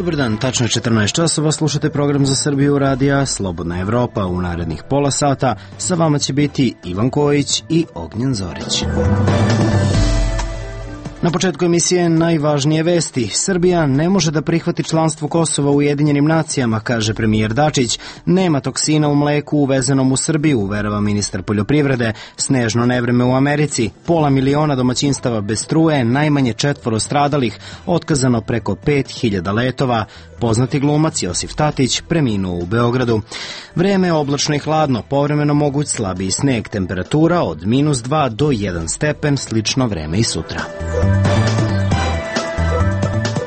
Dobar dan, tačno je 14 časova, slušate program za Srbiju radija Slobodna Evropa. U narednih pola sata sa vama će biti Ivan Kojić i Ognjen Zorić. Na početku emisije najvažnije vesti. Srbija ne može da prihvati članstvo Kosova u Ujedinjenim nacijama, kaže premijer Dačić. Nema toksina u mleku uvezenom u Srbiju, uverava ministar poljoprivrede. Snežno nevreme u Americi. 500.000 domaćinstava bez struje, najmanje 4 stradalih, otkazano preko 5.000 letova. Poznati glumac Josif Tatić preminuo u Beogradu. Vreme je oblačno i hladno, povremeno moguć slabiji sneg, temperatura od -2 do 1 stepen, slično vreme i sutra.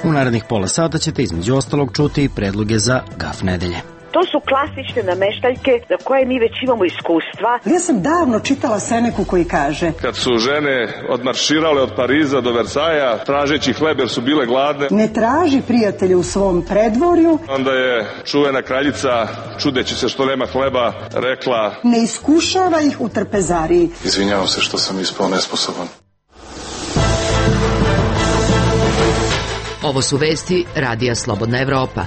U narednih pola sata ćete između ostalog čuti predloge za gaf nedelje. To su klasične nameštaljke za koje mi već imamo iskustva. Ja sam davno čitala Seneku koji kaže: kad su žene odmarširale od Pariza do Versaja, tražeći hleb jer su bile gladne. Ne traži prijatelje u svom predvorju. Onda je čuvena kraljica, čudeći se što nema hleba, rekla: ne iskušava ih u trpezariji. Izvinjavam se što sam ispao nesposoban. Ovo su vesti Radija Slobodna Evropa.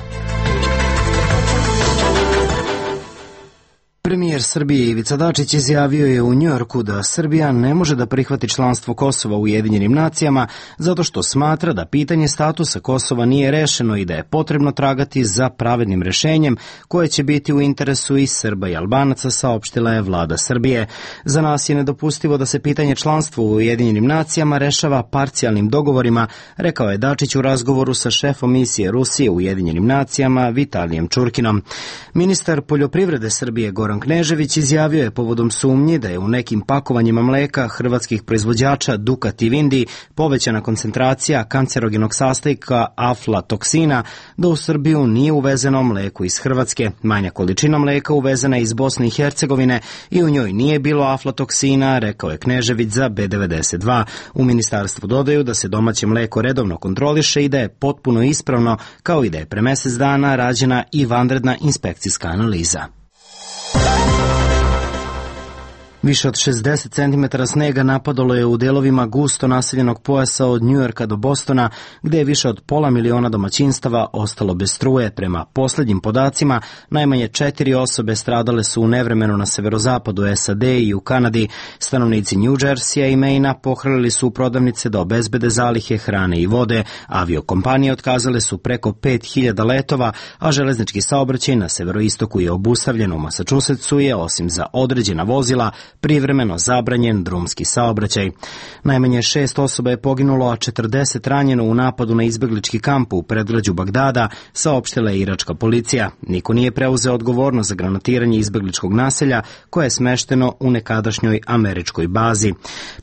Premijer Srbije Ivica Dačić izjavio je u Njujorku da Srbija ne može da prihvati članstvo Kosova u Ujedinjenim nacijama zato što smatra da pitanje statusa Kosova nije rešeno i da je potrebno tragati za pravednim rešenjem koje će biti u interesu i Srba i Albanaca, saopštila je vlada Srbije. Za nas je nedopustivo da se pitanje članstva u Ujedinjenim nacijama rešava parcijalnim dogovorima, rekao je Dačić u razgovoru sa šefom misije Rusije u Ujedinjenim nacijama Vitalijem Čurkinom. Ministar poljoprivrede Srbije Goran Knežević izjavio je povodom sumnji da je u nekim pakovanjima mleka hrvatskih proizvođača Dukat i Vindi povećana koncentracija kancerogenog sastojka aflatoksina, da u Srbiju nije uvezeno mleko iz Hrvatske. Manja količina mleka uvezena iz Bosne i Hercegovine i u njoj nije bilo aflatoksina, rekao je Knežević za B92. U ministarstvu dodaju da se domaće mleko redovno kontroliše i da je potpuno ispravno, kao i da je pre mesec dana rađena i vanredna inspekcijska analiza. Više od 60 cm snega napadalo je u delovima gusto naseljenog pojasa od Njujorka do Bostona, gde je više od 500.000 domaćinstava ostalo bez struje. Prema poslednjim podacima, najmanje 4 osobe stradale su u nevremenu na severozapadu SAD i u Kanadi. Stanovnici New Jersey i Maina pohrlili su u prodavnice da obezbede zalihe hrane i vode. Aviokompanije otkazale su preko 5.000 letova, a železnički saobraćaj na severoistoku je obustavljen. U Massachusettsu je, osim za određena vozila, privremeno zabranjen drumski saobraćaj. Najmanje 6 osoba je poginulo, a 40 ranjeno u napadu na izbeglički kamp u predgrađu Bagdada, saopštila je iračka policija. Niko nije preuzeo odgovornost za granatiranje izbegličkog naselja koje je smešteno u nekadašnjoj američkoj bazi.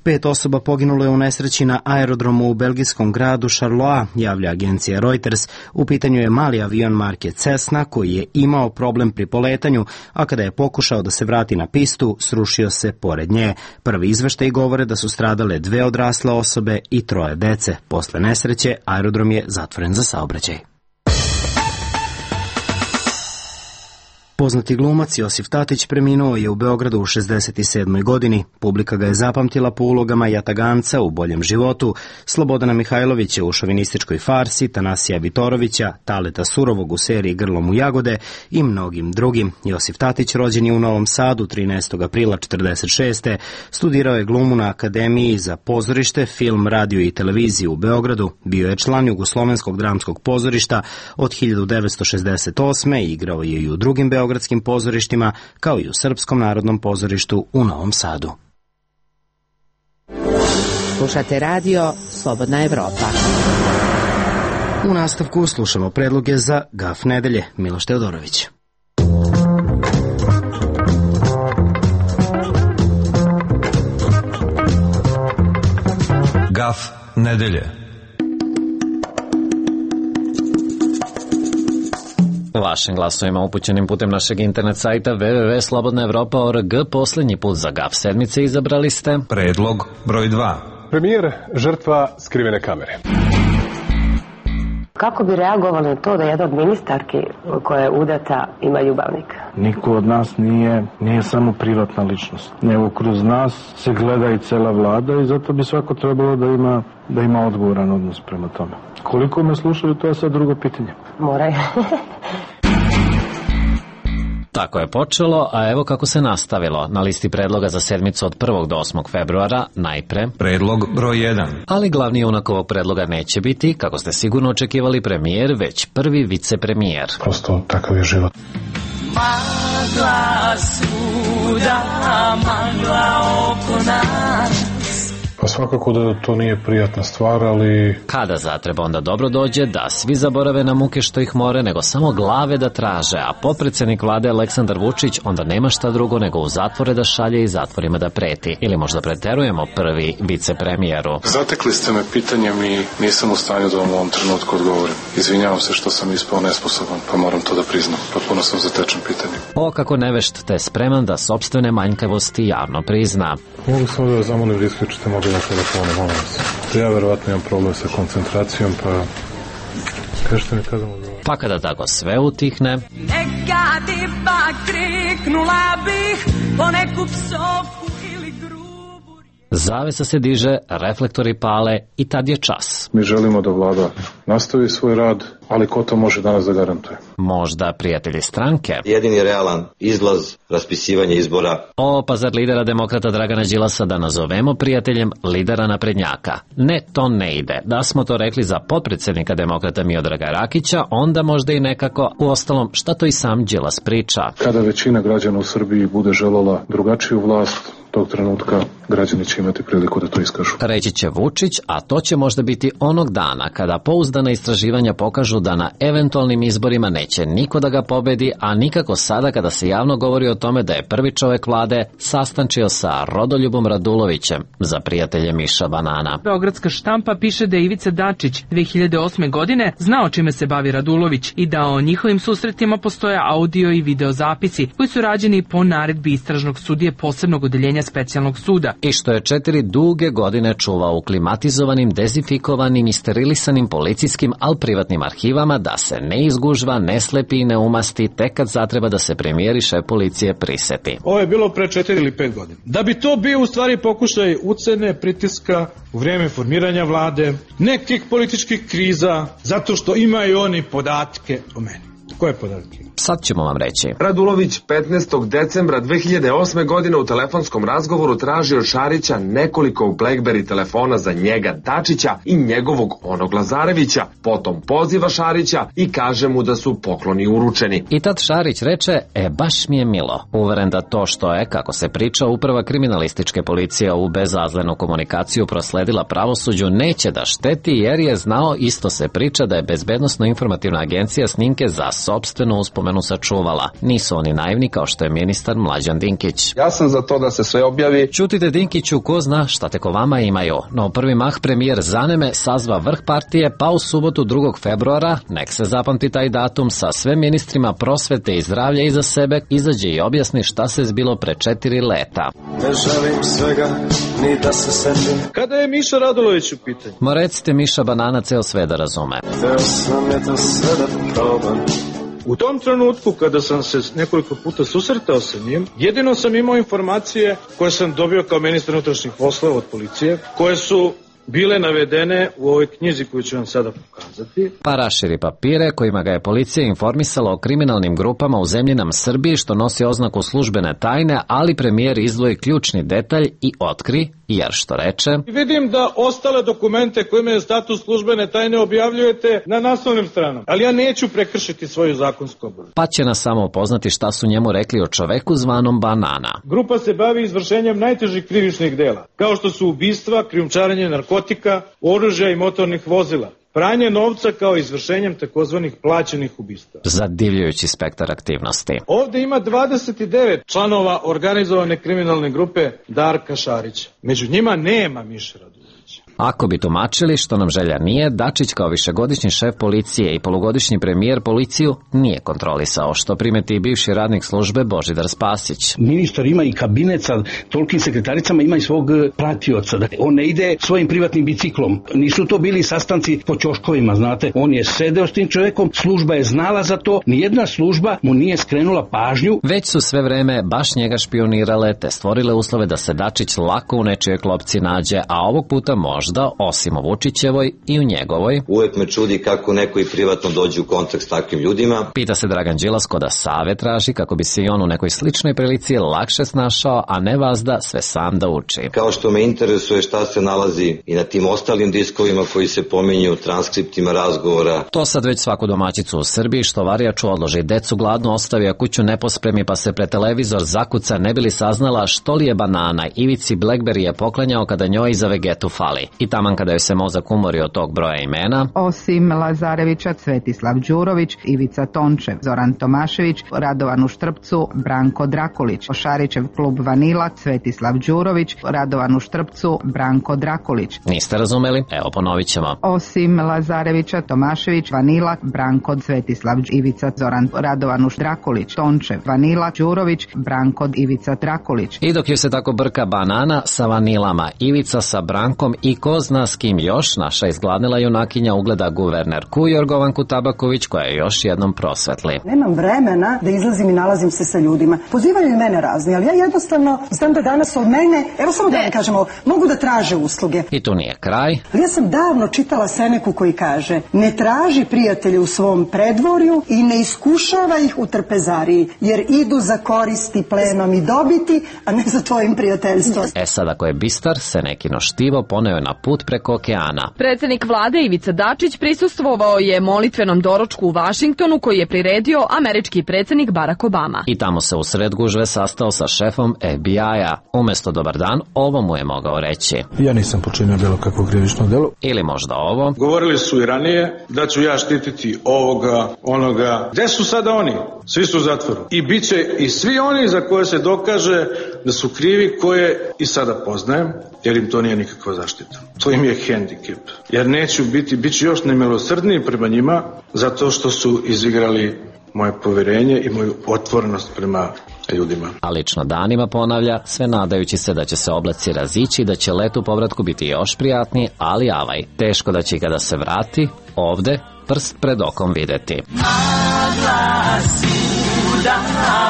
5 osoba poginulo je u nesreći na aerodromu u belgijskom gradu Charleroi, javlja agencija Reuters. U pitanju je mali avion marke Cessna koji je imao problem pri poletanju, a kada je pokušao da se vrati na pistu, srušio se pored nje. Prvi izveštaji govore da su stradale 2 odrasle osobe i 3 dece. Posle nesreće, aerodrom je zatvoren za saobraćaj. Poznati glumac Josif Tatić preminuo je u Beogradu u 67. godini. Publika ga je zapamtila po ulogama Jataganca u Boljem životu, Slobodana Mihajlovića u šovinističkoj farsi, Tanasija Vitorovića, Taleta Surovog u seriji Grlom u jagode i mnogim drugim. Josif Tatić rođen je u Novom Sadu 13. aprila 1946. Studirao je glumu na Akademiji za pozorište, film, radio i televiziju u Beogradu. Bio je član Jugoslovenskog dramskog pozorišta od 1968. i igrao je i u drugim beogradskim pozorištima, kao i u Srpskom narodnom pozorištu u Novom Sadu. Slušate radio Slobodna Evropa. U nastavku slušamo predloge za gaf nedelje. Miloš Teodorović. Gaf nedelje. Vašim glasovima upućenim putem našeg internet sajta www.slobodnaevropa.org poslednji put za gaf sedmice izabrali ste predlog broj 2. Premijer žrtva skrivene kamere. Kako bi reagovali na to da jedna od ministarki koja je udata ima ljubavnika? Niko od nas nije samo privatna ličnost. Nego kroz nas se gleda i cela vlada i zato bi svako trebalo da ima odgovoran odnos prema tome. Koliko me slušaju, to je sad drugo pitanje. Moraju. Tako je počelo, a evo kako se nastavilo. Na listi predloga za sedmicu od 1. do 8. februara najpre predlog broj 1. Ali glavni junak ovog predloga neće biti, kako ste sigurno očekivali, premijer, već prvi vicepremijer. Prosto takav je život. Magla svuda, magla oko nas. Pa svakako da to nije prijatna stvar, ali... Kada zatreba onda dobro dođe da svi zaborave na muke što ih more, nego samo glave da traže, a potpredsednik vlade Aleksandar Vučić onda nema šta drugo nego u zatvore da šalje i zatvorima da preti. Ili možda preterujemo prvi vicepremijeru. Zatekli ste me pitanjem i nisam u stanju da vam u ovom trenutku odgovorim. Izvinjavam se što sam ispao nesposoban, pa moram to da priznam. Potpuno sam zatečen pitanjem. O, kako nevešt te spreman da sopstvene manjkavosti javno prizna. Mogu samo da vas zamolim da isključite mobilne telefone, molim vas. Ja verovatno imam problem sa koncentracijom, pa kažete mi kada mogu... Pa kada tako sve utihne... Nekad ipak kriknula bih po neku psovku ili grubu... Zavesa se diže, reflektori pale i tad je čas. Mi želimo da vlada nastavi svoj rad, ali ko to može danas da garantuje? Možda prijatelji stranke. Jedini realan izlaz, raspisivanje izbora. O, pa zar lidera demokrata Dragana Đilasa da nazovemo prijateljem lidera naprednjaka? Ne, to ne ide. Da smo to rekli za potpredsednika demokrata Miodraga Rakića, onda možda i nekako. Uostalom, šta to i sam Đilas priča? Kada većina građana u Srbiji bude želela drugačiju vlast, tog trenutka građani će imati priliku da to iskažu. Reći će Vučić, a to će možda biti onog dana kada pouzdana istraživanja pokažu da na eventualnim izborima neće niko da ga pobedi, a nikako sada kada se javno govori o tome da je prvi čovek vlade sastančio sa Rodoljubom Radulovićem za prijatelje Miša Banana. Beogradska štampa piše da je Ivica Dačić 2008. godine znao čime se bavi Radulović i da o njihovim susretima postoje audio i video zapisi koji su rađeni po naredbi istražnog sudije posebnog odeljenja specijalnog suda. I što je 4 duge godine čuvao u klimatizovanim, dezinfikovanim i sterilisanim policijskim, al privatnim arhivama da se ne izgužva, ne slepi i ne umasti tek kad zatreba da se premijer i šef policije priseti. Ovo je bilo pre 4 ili 5 godina. Da bi to bio u stvari pokušaj ucene, pritiska u vrijeme formiranja vlade, nekih političkih kriza, zato što imaju oni podatke o meni. Koje podatke? Sad ćemo vam reći. Radulović 15. decembra 2008. godine u telefonskom razgovoru traži od Šarića nekoliko BlackBerry telefona za njega Dačića i njegovog onog Lazarevića. Potom poziva Šarića i kaže mu da su pokloni uručeni. I tad Šarić reče, baš mi je milo. Uveren da to što je, kako se priča, uprava kriminalističke policije u bezazlenu komunikaciju prosledila pravosuđu neće da šteti jer je znao, isto se priča, da je Bezbednosno-informativna agencija snimke za sopstvenu uspomenu sačuvala. Nisu oni naivni kao što je ministar Mlađan Dinkić. Ja sam za to da se sve objavi. Ćutite Dinkiću, ko zna šta tek o vama imaju. No u prvi mah premijer Zaneme sazva vrh partije, pa u subotu 2. februara, nek se zapamti taj datum, sa sve ministrima prosvete i zdravlja iza sebe, izađe i objasni šta se zbilo pre 4 leta. Ne želim svega, ni da se setim. Kada je Miša Radulović u pitanju? Ma recite Miša Banana ceo sve da razume. Hteo sam je to sve da probam. U tom trenutku kada sam se nekoliko puta susretao sa njim, jedino sam imao informacije koje sam dobio kao ministar unutrašnjih poslova od policije, koje su bile navedene u ovoj knjizi koju ću vam sada pokazati. Pa raširi papire kojima ga je policija informisala o kriminalnim grupama u zemlji nam Srbiji što nosi oznaku službene tajne, ali premijer izdvoji ključni detalj i otkri, jer što reče... Vidim da ostale dokumente koje imaju status službene tajne objavljujete na naslovnim stranama, ali ja neću prekršiti svoju zakonsku obavezu. Pa će nas samo upoznati šta su njemu rekli o čoveku zvanom Banana. Grupa se bavi izvršenjem najtežih krivičnih dela, kao što su ubistva, krijumčarenje narkotika, oružja i motornih vozila, pranje novca kao izvršenjem takozvanih plaćenih ubistva. Zadivljujući spektar aktivnosti. Ovde ima 29 članova organizovane kriminalne grupe Darka Šarića. Među njima nema Miše Radulovića. Ako bi tumačili što nam želja nije, Dačić kao višegodišnji šef policije i polugodišnji premijer policiju nije kontrolisao, što primeti i bivši radnik službe Božidar Spasić. Ministar ima i kabinet sa tolikim sekretaricama, ima i svog pratioca. On ne ide svojim privatnim biciklom. Nisu to bili sastanci po ćoškovima, znate. On je sedeo s tim čovekom, služba je znala za to, nijedna služba mu nije skrenula pažnju. Već su sve vreme baš njega špionirale te stvorile uslove da se Dačić lako u nečijoj klopci nađe, a ovog puta možda, osim u Vučićevoj, i u njegovoj. Uvek me čudi kako neko i privatno dođe u kontakt s takvim ljudima. Pita se Dragan Đilas ko da savet traži kako bi se i on u nekoj sličnoj prilici lakše snašao, a ne vazda sve sam da uči. Kao što me interesuje šta se nalazi i na tim ostalim diskovima koji se pominju, transkriptima razgovora. To sad već svaku domaćicu u Srbiji što varijaču odloži, decu gladno ostavi, a kuću ne pospremi pa se pred televizor zakuca ne bi li saznala što li je banana Ivici Blackberry je poklanjao kada njoj za vegetu fali. I taman kada joj se mozak umori od tog broja imena. Osim Lazarevića, Svetislav Đurović, Ivica Tončev, Zoran Tomašević, Radovan Uštrpcu, Branko Drakulić, Šarićev klub Vanila, Svetislav Đurović, Radovan Uštrpcu, Branko Drakulić. Niste razumeli? Evo ponovit ćemo. Osim Lazarevića, Tomašević, Vanila, Branko, Svetislav, Ivica, Zoran, Radovan Drakulić, Tončev, Vanila, Đurović, Branko, Ivica Drakulić. I dok ju se tako brka banana sa vanilama, Ivica sa Brankom i ko zna s kim još, naša izgladnila junakinja ugleda guvernerku Jorgovanku Tabaković koja je još jednom prosvetli. Nemam vremena da izlazim i nalazim se sa ljudima. Pozivaju i mene razni, ali ja jednostavno znam da danas od mene, evo samo da ne kažemo, mogu da traže usluge. I tu nije kraj. Ali ja sam davno čitala Seneku koji kaže: ne traži prijatelje u svom predvorju i ne iskušava ih u trpezariji, jer idu za koristi, plenom i dobiti, a ne za tvojim prijateljstvom. Sad ako je bistar, Senekino štivo poneo je na put preko okeana. Predsjednik vlade Ivica Dačić prisustvovao je molitvenom doručku u Vašingtonu koji je priredio američki predsjednik Barack Obama. I tamo se u sred gužve sastao sa šefom FBI-a. Umesto dobar dan, ovo mu je mogao reći. Ja nisam počinio bilo kakvo krivično delo. Ili možda ovo. Govorili su i ranije da ću ja štititi ovoga, onoga. Gde su sada oni? Svi su u zatvoru. I bit će i svi oni za koje se dokaže da su krivi, koje i sada poznajem, jer im to nije nikakva zaštita. To im je hendikep. Jer neću bit ću još nemilosrdniji prema njima, zato što su izigrali moje poverenje i moju otvorenost prema ljudima. A lično danima ponavlja, sve nadajući se da će se oblaci razići i da će let u povratku biti još prijatniji, ali avaj, teško da će i kada se vrati, ovde, prst pred okom videti. Magla svuda,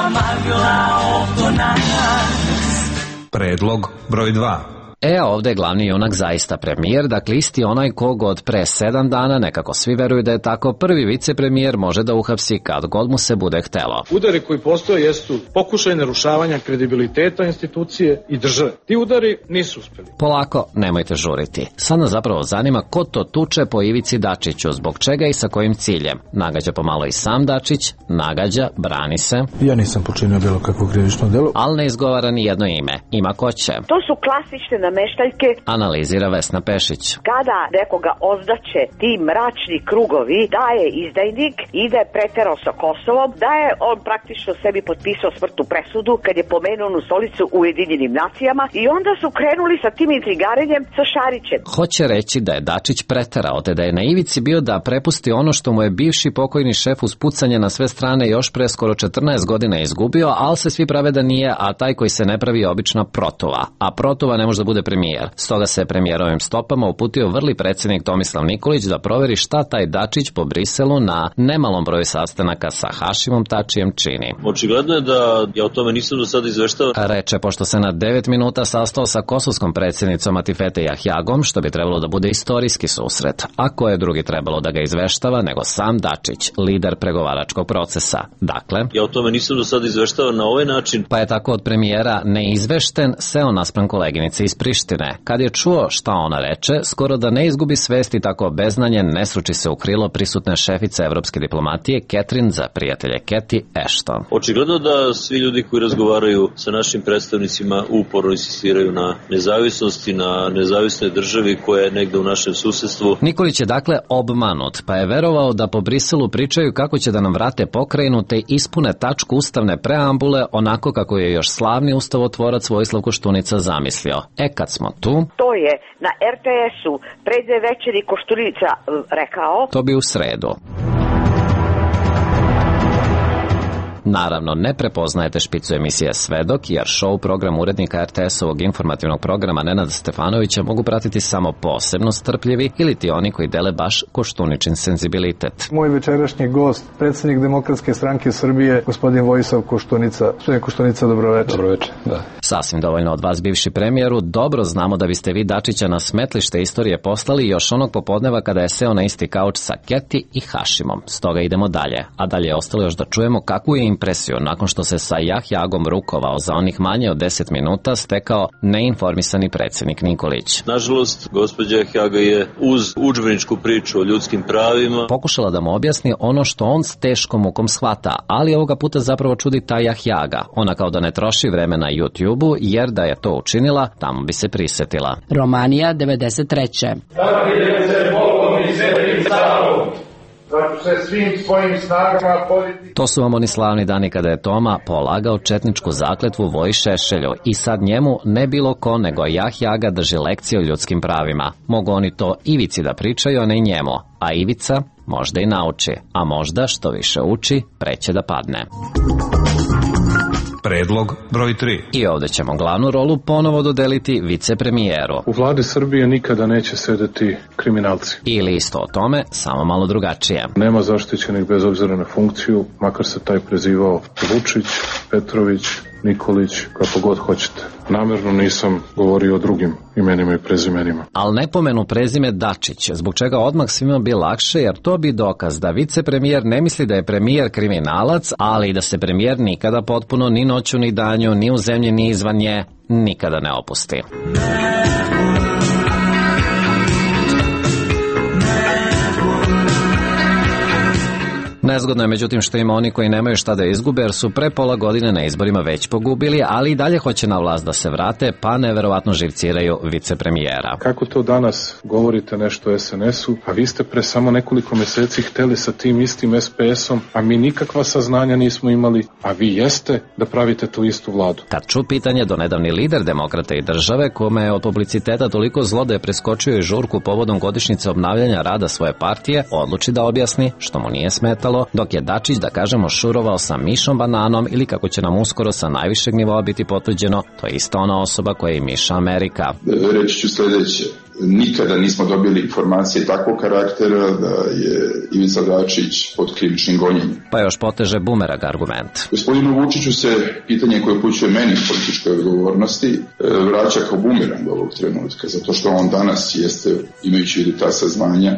magla oko nas. Predlog broj 2. A ovdje je glavni junak zaista premijer, dakle isti onaj kog od pre 7 dana, nekako svi veruju da je tako, prvi vicepremijer može da uhapsi kad god mu se bude htelo. Udari koji postoje jesu pokušaj narušavanja kredibiliteta institucije i države. Ti udari nisu uspeli. Polako, nemojte žuriti. Sad nas zapravo zanima ko to tuče po Ivici Dačiću, zbog čega i sa kojim ciljem. Nagađa pomalo i sam Dačić, nagađa, brani se. Ja nisam počinio bilo kakvo krivično delo. Ali ne izgovara ni jedno ime. Ima ko će. To su klasične nameštaljke. Analizira Vesna Pešić. Kada nekoga ozdaće ti mračni krugovi da je izdajnik i da je preterao sa Kosovom, da je on praktično sebi potpisao smrtnu presudu kad je pomenuo onu stolicu u Ujedinjenim nacijama i onda su krenuli sa tim intrigarenjem sa Šarićem. Hoće reći da je Dačić preterao, te da je na ivici bio da prepusti ono što mu je bivši pokojni šef uz pucanje na sve strane još pre skoro 14 godina izgubio, ali se svi prave da nije, a taj koji se ne pravi je obična protuva. A protuva ne može da bude premijer. Stoga se premijerovim stopama uputio vrli predsjednik Tomislav Nikolić da proveri šta taj Dačić po Briselu na nemalom broju sastanaka sa Hašimom Tačijem čini. Očigledno je da ja o tome nisam do sada izveštao. Reče, pošto se na 9 minuta sastao sa kosovskom predsjednicom Atifete Jahjagom, što bi trebalo da bude istorijski susret. A ko je drugi trebalo da ga izveštava nego sam Dačić, lider pregovaračkog procesa. Dakle, ja o tome nisam do sada izveštao na ovaj način. Pa je tako od premijera neizvešten seo naspram koleginice iz Prištine. Kad je čuo šta ona reče, skoro da ne izgubi svest i tako beznanjen ne sruči se u krilo prisutne šefice evropske diplomatije Catherine za prijatelje Cathy Ashton. Očigledno da svi ljudi koji razgovaraju sa našim predstavnicima uporno insistiraju na nezavisnosti, na nezavisnoj državi koja je negde u našem susedstvu. Nikolić je dakle obmanut, pa je verovao da po Briselu pričaju kako će da nam vrate pokrajinu te ispune tačku ustavne preambule onako kako je još slavni ustavotvorac Vojislav Koštunica zamislio. kad smo tu... To je na RTS-u pre 2 večeri Koštunica rekao. To bi u sredu. Naravno, ne prepoznajete špicu emisije Svedok, jer show program urednika RTS-ovog informativnog programa Nenada Stefanovića mogu pratiti samo posebno strpljivi ili ti oni koji dele baš Koštuničin senzibilitet. Moj večerašnji gost, predsjednik Demokratske stranke Srbije, gospodin Vojislav Koštunica. Gospodin Koštunica, dobroveče. Dobroveče, da. Sasvim dovoljno od vas, bivši premijeru. Dobro znamo da biste vi Dačića na smetlište istorije poslali još onog popodneva kada je seo na isti kauč sa Keti i Hašimom. Stoga idemo dalje. A dalje je ostalo još da čujemo kakvu je impresiju nakon što se sa Jahjagom rukovao za onih manje od 10 minuta stekao neinformisani predsjednik Nikolić. Nažalost, gospođa Jahjaga je uz udžbeničku priču o ljudskim pravima pokušala da mu objasni ono što on s teškom mukom shvata, ali ovoga puta zapravo čudi ta Jahjaga. Ona kao da ne troši vreme na YouTube-u, jer da je to učinila, tamo bi se prisetila. Romanija 93. To su vam oni slavni dani kada je Toma polagao četničku zakletvu Voji Šešelju i sad njemu ne bilo ko nego Jahjaga drži lekcije o ljudskim pravima. Mogu oni to Ivici da pričaju, a ne njemu, a Ivica možda i nauči, a možda što više uči, preće da padne. Predlog broj 3. I ovdje ćemo glavnu rolu ponovo dodeliti vicepremijeru. U vladi Srbije nikada neće sedeti kriminalci. Ili isto o tome, samo malo drugačije. Nema zaštićenih bez obzira na funkciju, makar se taj prezivao Vučić, Petrović, Nikolić, kako god hoćete. Namjerno nisam govorio o drugim imenima i prezimenima. Al ne pomenu prezime Dačić, zbog čega odmah svima bi lakše, jer to bi dokaz da vicepremijer ne misli da je premijer kriminalac, ali i da se premijer nikada potpuno ni noću ni danju, ni u zemlji ni izvan nje, nikada ne opusti. Nezgodno je međutim što ima oni koji nemaju šta da izgube, jer su pre pola godine na izborima već pogubili, ali i dalje hoće na vlast da se vrate, pa neverovatno živciraju vicepremijera. Kako to danas govorite nešto o SNS-u, a vi ste pre samo nekoliko meseci hteli sa tim istim SPS-om, a mi nikakva saznanja nismo imali, a vi jeste da pravite tu istu vladu. Kad ču pitanje do nedavni lider Demokrata i države, kome je od publiciteta toliko zlo da je preskočio i žurku povodom godišnjice obnavljanja rada svoje partije, odluči da objasni što mu nije smetalo, dok je Dačić, da kažemo, šurovao sa Mišom Bananom ili, kako će nam uskoro sa najvišeg nivoa biti potvrđeno, to je ista ona osoba koja je i Miša Amerika. Reći ću sljedeće. Nikada nismo dobili informacije takvog karaktera da je Ivica Dačić pod krivičnim gonjenjem. Pa još poteže bumerang argument. Gospodinu Vučiću se pitanje koje upućuje meni političkoj odgovornosti vraća kao bumerang ovog trenutka, zato što on danas jeste, imajući vidu ta saznanja,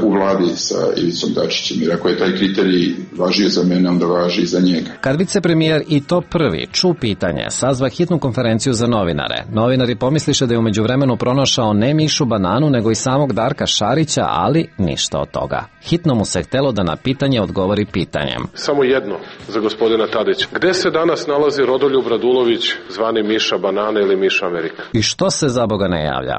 u vladi sa Ivicom Dačićem, jer ako je taj kriterij važio za mene, onda važi i za njega. Kad vicepremijer i to prvi ču pitanje, sazva hitnu konferenciju za novinare. Novinari pomisliše da je u međuvremenu pronašao ne Mišu Bananu, nego i samog Darka Šarića, ali ništa od toga. Hitno mu se htelo da na pitanje odgovori pitanjem. Samo jedno za gospodina Tadića. Gde se danas nalazi Rodoljub Radulović, zvani Miša Banana ili Miša Amerika? I što se za Boga ne javlja?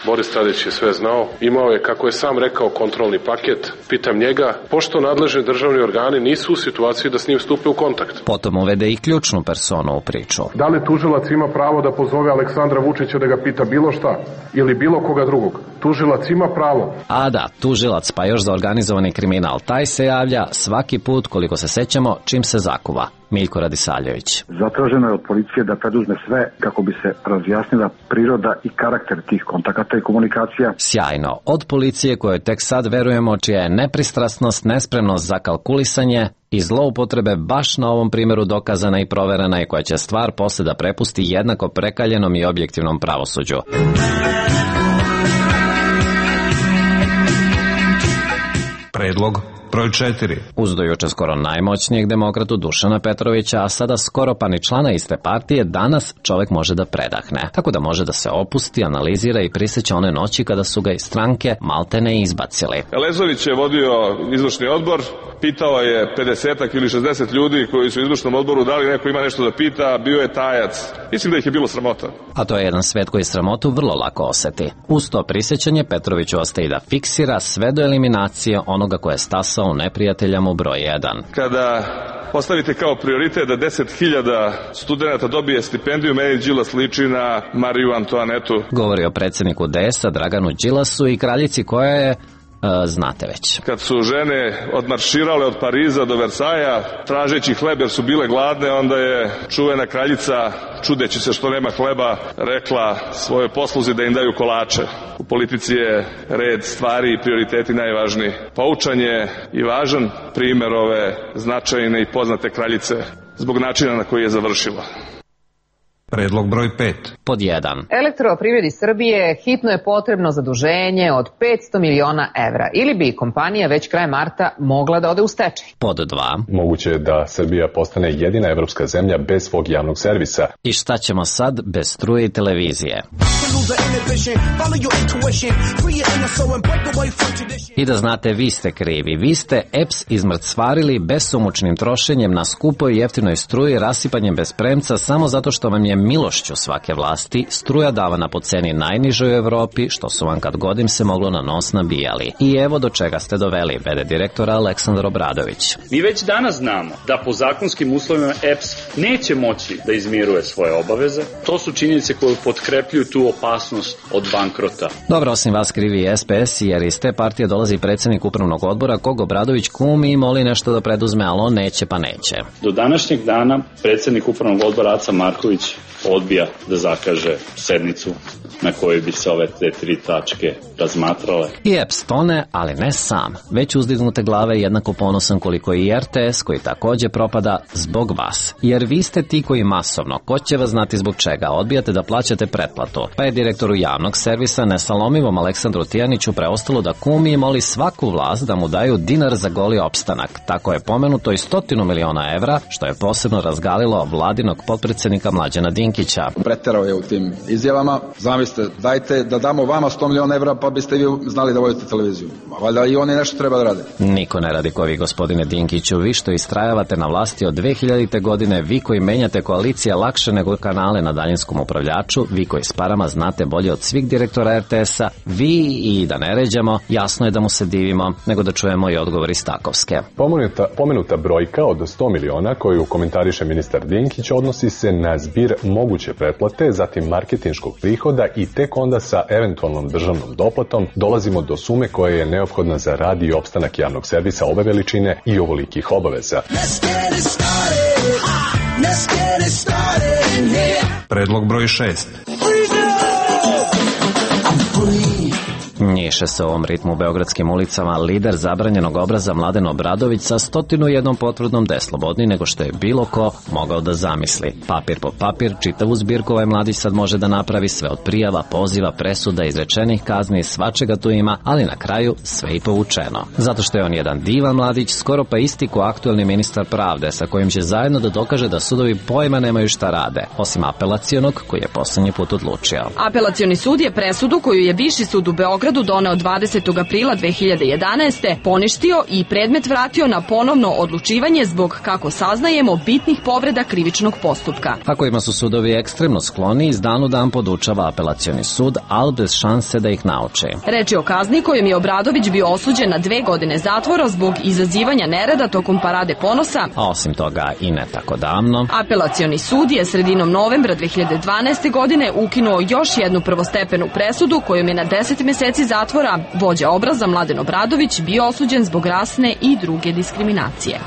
Boris Tadić je sve znao, imao je, kako je sam rekao, kontrolni paket. Pitam njega, pošto nadležni državni organi nisu u situaciji da s njim stupe u kontakt. Potom uvede i ključnu personu u priču. Da li tužilac ima pravo da pozove Aleksandra Vučića da ga pita bilo šta ili bilo koga drugog? Tužilac ima pravo. A da, tužilac, pa još za organizovani kriminal. Taj se javlja svaki put, koliko se sećamo, čim se zakuva. Miljko Radisaljević. Zatraženo je od policije da preduzme sve kako bi se razjasnila priroda i karakter tih kontakata i komunikacija. Sjajno. Od policije kojoj tek sad verujemo, čija je nepristrasnost, nespremnost za kalkulisanje i zloupotrebe baš na ovom primjeru dokazana i proverena i koja će stvar posle da prepusti jednako prekaljenom i objektivnom pravosuđu. Predlog broj 4. Uz do juče skoro najmoćnijeg demokratu Dušana Petrovića, a sada skoro pa ni člana iste partije, danas čovjek može da predahne. Tako da može da se opusti, analizira i prisjeća one noći kada su ga iz stranke maltene izbacili. Elezović je vodio izvršni odbor, pitao je 50 ili 60 ljudi koji su u izvršnom odboru, da li neko ima nešto da pita, bio je tajac. Mislim da ih je bilo sramota. A to je jedan svet koji sramotu vrlo lako oseti. Uz to prisjećanje Petroviću ostaje da fiksira sve do eliminacije onoga koje je stasao posao neprijatelja mu broj 1. Kada postavite kao prioritet da 10.000 studenta dobije stipendiju, meni Đilas liči na Mariju Antoanetu. Govori o predsjedniku DS-a Draganu Đilasu i kraljici koja je, znate već. Kad su žene odmarširale od Pariza do Versaja, tražeći hleb jer su bile gladne, onda je čuvena kraljica, čudeći se što nema hleba, rekla svojoj posluzi da im daju kolače. U politici je red stvari i prioriteti najvažniji. Poučan je i važan primer ove značajne i poznate kraljice zbog načina na koji je završila. Predlog broj 5. Pod 1. Elektroprivredi Srbije hitno je potrebno zaduženje od 500 miliona evra ili bi kompanija već krajem marta mogla da ode u stečaj. Pod 2. Moguće je da Srbija postane jedina evropska zemlja bez svog javnog servisa. I šta ćemo sad bez struje i televizije? I da znate, vi ste krivi. Vi ste EPS izmrcvarili besomučnim trošenjem na skupoj i jeftinoj struji, rasipanjem bez premca samo zato što vam je milošću svake vlasti struja davana po ceni najnižoj u Evropi, što su vam kad god im se moglo na nos nabijali. I evo do čega ste doveli, vede direktora Aleksandar Obradović. Mi već danas znamo da po zakonskim uslovima EPS neće moći da izmiruje svoje obaveze. To su činjenice koje potkrepljuju tu opasnost od bankrota. Dobro, osim vas krivi i SPS, jer iz te partije dolazi predsjednik upravnog odbora kog Obradović kumi i moli nešto da preduzme, ali on neće pa neće. Do današnjeg dana predsjednik upravnog odbora Aca Marković odbija da zakaže sednicu na kojoj bi se ove te 3 tačke razmatrale. I EPS tone, ali ne sam. Već uzdignute glave jednako ponosan koliko i RTS, koji takođe propada zbog vas. Jer vi ste ti koji masovno, ko će vas znati zbog čega, odbijate da plaćate pretplatu. Pa je direktoru javnog servisa nesalomivom Aleksandru Tijaniću preostalo da kumi i moli svaku vlast da mu daju dinar za goli opstanak. Tako je pomenuto i 100 miliona evra, što je posebno razgalilo vladinog potpredsjednika Mlađana Dinkića. Preterao je u tim izjavama. Zamislite, dajte da damo vama 100 miliona evra pa biste vi znali da vodite televiziju. Valjda i oni nešto treba da rade. Niko ne radi ko vi, gospodine Dinkiću. Vi što istrajavate na vlasti od 2000. godine, vi koji menjate koalicije lakše nego kanale na daljinskom upravljaču, vi koji s parama znate bolje od svih direktora RTS-a, vi i da ne ređamo, jasno je da mu se divimo, nego da čujemo i odgovor iz Takovske. Pomenuta brojka od 100 miliona koju komentariše ministar Dinkić odnosi se na zbir moguće pretplate, zatim marketinškog prihoda i tek onda sa eventualnom državnom doplatom dolazimo do sume koja je neophodna za rad i opstanak javnog servisa ove veličine i ovolikih obaveza. Predlog broj 6. Njiše se u ovom ritmu u beogradskim ulicama lider zabranjenog obraza Mladen Obradović sa 101 potvrdom da je slobodniji nego što je bilo ko mogao da zamisli. Papir po papir, čitavu zbirku ovaj mladić sad može da napravi sve od prijava, poziva, presuda, izrečenih kazni, svačega tu ima, ali na kraju sve i povučeno. Zato što je on jedan divan mladić, skoro pa isti ko aktuelni ministar pravde, sa kojim će zajedno da dokaže da sudovi pojma nemaju šta rade, osim apelacionog koji je poslednji put odlučio. Apelacioni sud je presudu koju je Viši sud u Beogradu doneo 20. aprila 2011. poništio i predmet vratio na ponovno odlučivanje zbog, kako saznajemo, bitnih povreda krivičnog postupka. A kojima su sudovi ekstremno skloni, iz dan u dan podučava apelacioni sud, ali bez šanse da ih nauče. Reč je o kazni kojom je Obradović bio osuđen na 2 godine zatvora zbog izazivanja nereda tokom Parade ponosa. A osim toga i ne tako davno. Apelacioni sud je sredinom novembra 2012. godine ukinuo još jednu prvostepenu presudu kojom je na 10 meseci zatvora vođa obraza Mladen Obradović bio osuđen zbog rasne i druge diskriminacije.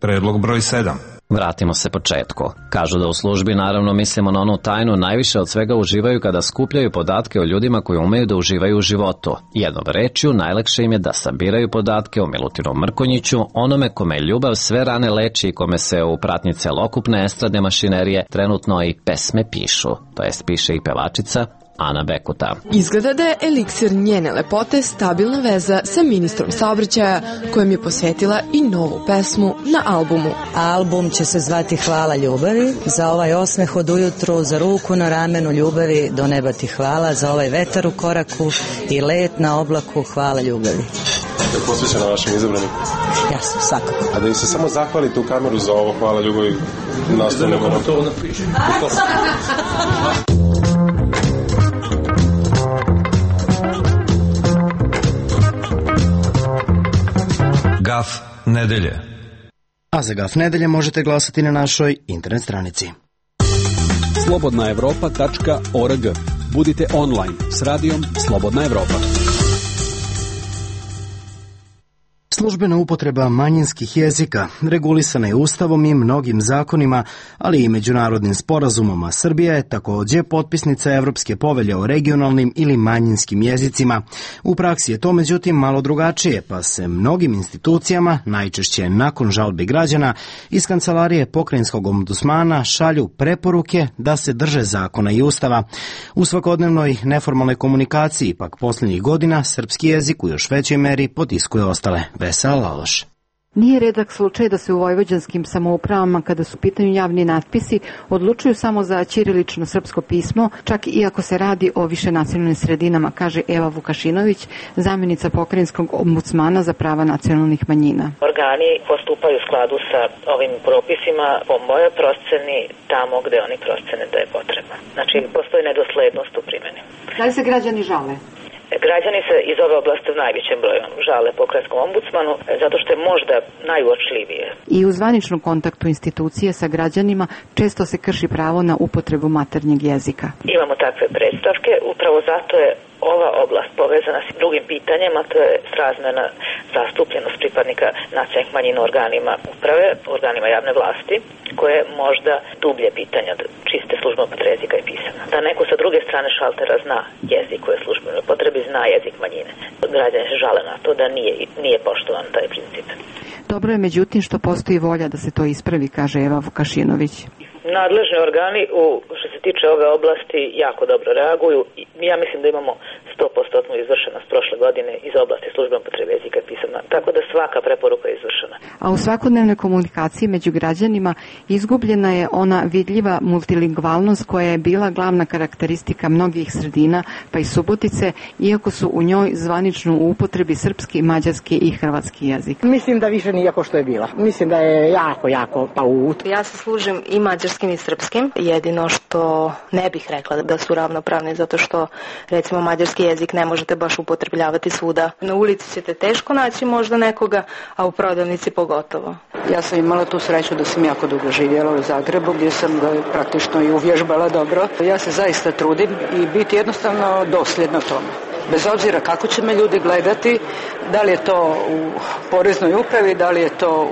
Predlog broj 7. Vratimo se početku. Kažu da u službi, naravno mislimo na onu tajnu, najviše od svega uživaju kada skupljaju podatke o ljudima koji umeju da uživaju u životu. Jednom rečju, najlakše im je da sabiraju podatke o Milutinu Mrkonjiću, onome kome ljubav sve rane leči i kome se u pratnji celokupne estradne mašinerije trenutno i pesme pišu, to jest piše i pevačica Ana Bekuta. Izgleda da je eliksir njene lepote stabilna veza sa ministrom saobraćaja, kojem je posvetila i novu pesmu na albumu. Album će se zvati Hvala ljubavi, za ovaj osmeh od ujutru, za ruku na ramenu ljubavi, do neba ti hvala, za ovaj vetar u koraku i let na oblaku, hvala ljubavi. Je posvećena vašem izabranim? Jasno, svakako. A da im se samo zahvalite u kameru za ovo hvala ljubavi, nastavljamo nam. To napiše. nedelje. A za Gaf nedelje možete glasati na našoj internet stranici. slobodnaevropa.org. Budite online s radijom Slobodna Evropa. Službena upotreba manjinskih jezika regulisana je Ustavom i mnogim zakonima, ali i međunarodnim sporazumom, a Srbija je takođe potpisnica Evropske povelje o regionalnim ili manjinskim jezicima. U praksi je to međutim malo drugačije, pa se mnogim institucijama, najčešće nakon žalbi građana, iz kancelarije pokrajinskog ombudsmana šalju preporuke da se drže zakona i Ustava. U svakodnevnoj neformalnoj komunikaciji, pak posljednjih godina, srpski jezik u još većoj meri potiskuje ostale. Vesela Laloš. Nije redak slučaj da se u vojvođanskim samoupravama, kada su u pitanju javni natpisi, odlučuju samo za ćirilično srpsko pismo, čak i ako se radi o višenacionalnim sredinama, kaže Eva Vukašinović, zamjenica pokrajinskog ombudsmana za prava nacionalnih manjina. Organi postupaju u skladu sa ovim propisima po mojoj proceni tamo gde oni procene da je potrebno. Znači, postoji nedoslednost u primjeni. Da li se građani žale? Građani se iz ove oblasti u najvećem broju žale pokrajinskom ombudsmanu zato što je možda najuočljivije. I u zvaničnom kontaktu institucije sa građanima često se krši pravo na upotrebu maternjeg jezika. Imamo takve predstavke, upravo zato je ova oblast povezana s drugim pitanjima, to je srazmjerna zastupljenost pripadnika nacionalnih manjina u organima uprave, organima javne vlasti, koje možda dublje pitanja čiste službene upotrebe jezika i pisama. Da neko sa druge strane šaltera zna jezik koje je službeno upotrebi, zna jezik manjine. Građani se žale na to da nije poštovan taj princip. Dobro je međutim što postoji volja da se to ispravi, kaže Eva Vukašinović. Nadležni organi što se tiče ove oblasti jako dobro reaguju. Ja mislim da imamo 100% izvršenost prošle godine iz oblasti službene upotrebe jezika i pisama, tako da svaka preporuka je izvršena. A u svakodnevnoj komunikaciji među građanima izgubljena je ona vidljiva multilingvalnost koja je bila glavna karakteristika mnogih sredina, pa i Subotice, iako su u njoj zvanično u upotrebi srpski, mađarski i hrvatski jezik. Mislim da više nije kao što je bila. Mislim da je jako paut. Ja se služim i mađarskim i srpskim. Jedino što ne bih rekla da su ravnopravni, zato što recimo mađarski jezik ne možete baš upotrebljavati svuda. Na ulici ćete teško naći možda nekoga, a u prodavnici pogotovo. Ja sam imala tu sreću da sam jako dugo živjela u Zagrebu, gdje sam ga praktično i uvježbala dobro. Ja se zaista trudim i biti jednostavno dosljedna tome. Bez obzira kako će me ljudi gledati, da li je to u poreznoj upravi, da li je to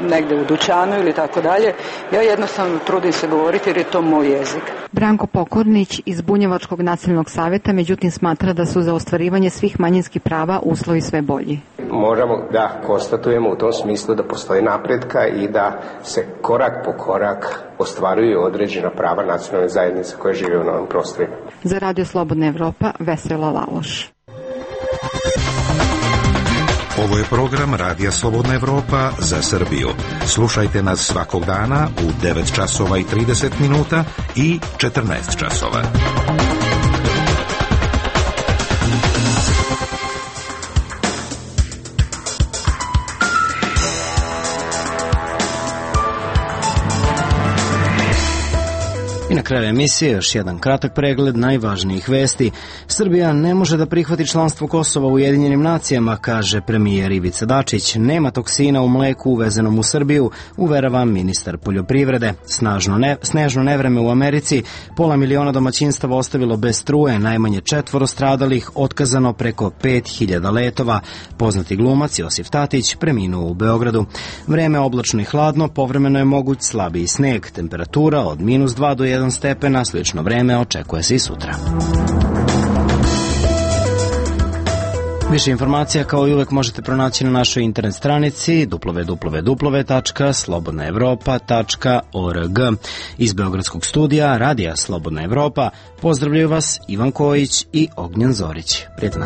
negde u dućanu ili tako dalje, ja jednostavno trudim se govoriti jer je to moj jezik. Branko Pokornić iz Bunjevačkog nacionalnog savjeta međutim smatra da su za ostvarivanje svih manjinskih prava uslovi sve bolji. Možemo da konstatujemo u tom smislu da postoji napretka i da se korak po korak ostvaruju određena prava nacionalne zajednice koje žive u novim prostorima. Za Radio Slobodna Evropa, Vesela Laloš. Ovo je program Radija Slobodna Evropa za Srbiju. Slušajte nas svakog dana u 9 časova i 30 minuta i 14 časova. I na kraju emisije još jedan kratak pregled najvažnijih vesti. Srbija ne može da prihvati članstvo Kosova u Ujedinjenim nacijama, kaže premijer Ivica Dačić. Nema toksina u mleku uvezenom u Srbiju, uverava ministar poljoprivrede. Snežno nevreme u Americi, 500 miliona domaćinstava ostavilo bez struje, najmanje 4 stradalih, otkazano preko 5000 letova. Poznati glumac Josif Tatić preminuo u Beogradu. Vreme oblačno i hladno, povremeno je moguć slabiji sneg, temperatura od -2 do 1 stepena, slično vreme očekuje se i sutra. Više informacija kao i uvek možete pronaći na našoj internet stranici www.slobodnaevropa.org. Iz Beogradskog studija Radija Slobodna Evropa pozdravljaju vas Ivan Kojić i Ognjen Zorić. Prijetno.